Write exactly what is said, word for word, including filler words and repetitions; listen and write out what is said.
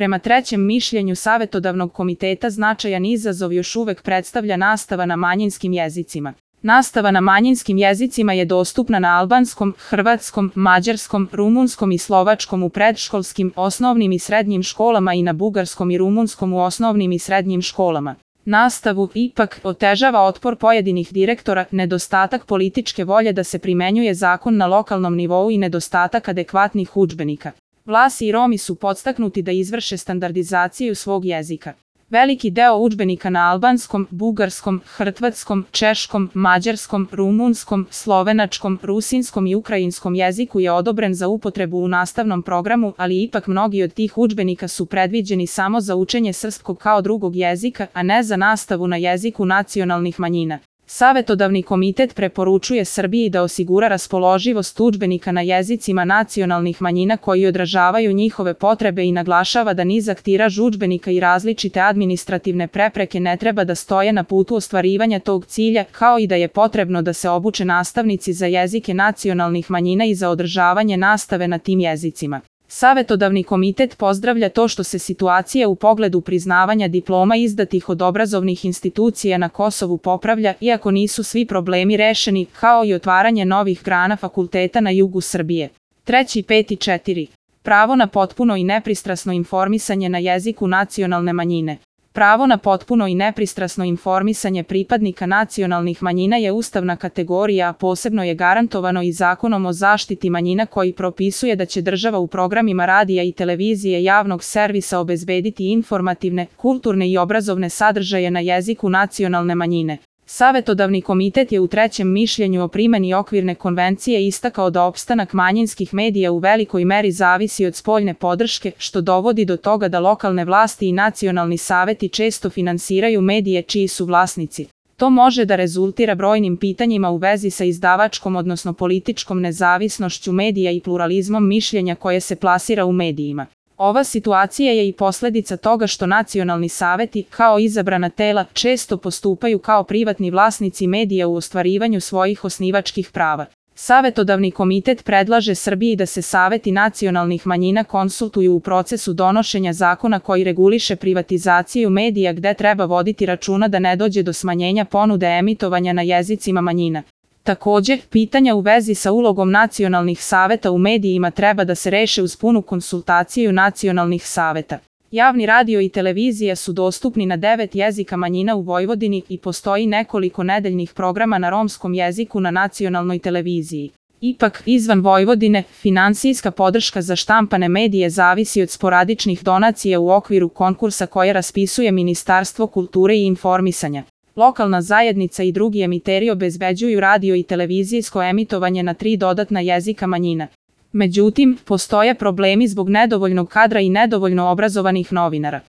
Prema trećem mišljenju Savetodavnog komiteta značajan izazov još uvek predstavlja nastava na manjinskim jezicima. Nastava na manjinskim jezicima je dostupna na albanskom, hrvatskom, mađarskom, rumunskom i slovačkom u predškolskim, osnovnim i srednjim školama i na bugarskom i rumunskom u osnovnim i srednjim školama. Nastavu, ipak, otežava otpor pojedinih direktora, nedostatak političke volje da se primenjuje zakon na lokalnom nivou i nedostatak adekvatnih udžbenika. Vlasi i Romi su podstaknuti da izvrše standardizaciju svog jezika. Veliki deo udžbenika na albanskom, bugarskom, hrvatskom, češkom, mađarskom, rumunskom, slovenačkom, rusinskom i ukrajinskom jeziku je odobren za upotrebu u nastavnom programu, ali ipak mnogi od tih udžbenika su predviđeni samo za učenje srpskog kao drugog jezika, a ne za nastavu na jeziku nacionalnih manjina. Savetodavni komitet preporučuje Srbiji da osigura raspoloživost udžbenika na jezicima nacionalnih manjina koji odražavaju njihove potrebe i naglašava da nizak tiraž udžbenika i različite administrativne prepreke ne treba da stoje na putu ostvarivanja tog cilja, kao i da je potrebno da se obuče nastavnici za jezike nacionalnih manjina i za održavanje nastave na tim jezicima. Savetodavni komitet pozdravlja to što se situacija u pogledu priznavanja diploma izdatih od obrazovnih institucija na Kosovu popravlja, iako nisu svi problemi rešeni, kao i otvaranje novih grana fakulteta na jugu Srbije. Treći, peti, četiri. Pravo na potpuno i nepristrasno informisanje na jeziku nacionalne manjine. Pravo na potpuno i nepristrasno informisanje pripadnika nacionalnih manjina je ustavna kategorija, a posebno je garantovano i Zakonom o zaštiti manjina koji propisuje da će država u programima radija i televizije javnog servisa obezbediti informativne, kulturne i obrazovne sadržaje na jeziku nacionalne manjine. Savetodavni komitet je u trećem mišljenju o primeni okvirne konvencije istakao da opstanak manjinskih medija u velikoj meri zavisi od spoljne podrške, što dovodi do toga da lokalne vlasti i nacionalni saveti često finansiraju medije čiji su vlasnici. To može da rezultira brojnim pitanjima u vezi sa izdavačkom odnosno političkom nezavisnošću medija i pluralizmom mišljenja koje se plasira u medijima. Ova situacija je i posledica toga što nacionalni saveti, kao izabrana tela, često postupaju kao privatni vlasnici medija u ostvarivanju svojih osnivačkih prava. Savetodavni komitet predlaže Srbiji da se saveti nacionalnih manjina konsultuju u procesu donošenja zakona koji reguliše privatizaciju medija gde treba voditi računa da ne dođe do smanjenja ponude emitovanja na jezicima manjina. Takođe, pitanja u vezi sa ulogom nacionalnih saveta u medijima treba da se reše uz punu konsultaciju nacionalnih saveta. Javni radio i televizija su dostupni na devet jezika manjina u Vojvodini i postoji nekoliko nedeljnih programa na romskom jeziku na nacionalnoj televiziji. Ipak, izvan Vojvodine, finansijska podrška za štampane medije zavisi od sporadičnih donacija u okviru konkursa koje raspisuje Ministarstvo kulture i informisanja. Lokalna zajednica i drugi emiteri obezbeđuju radio i televizijsko emitovanje na tri dodatna jezika manjina. Međutim, postoje problemi zbog nedovoljnog kadra i nedovoljno obrazovanih novinara.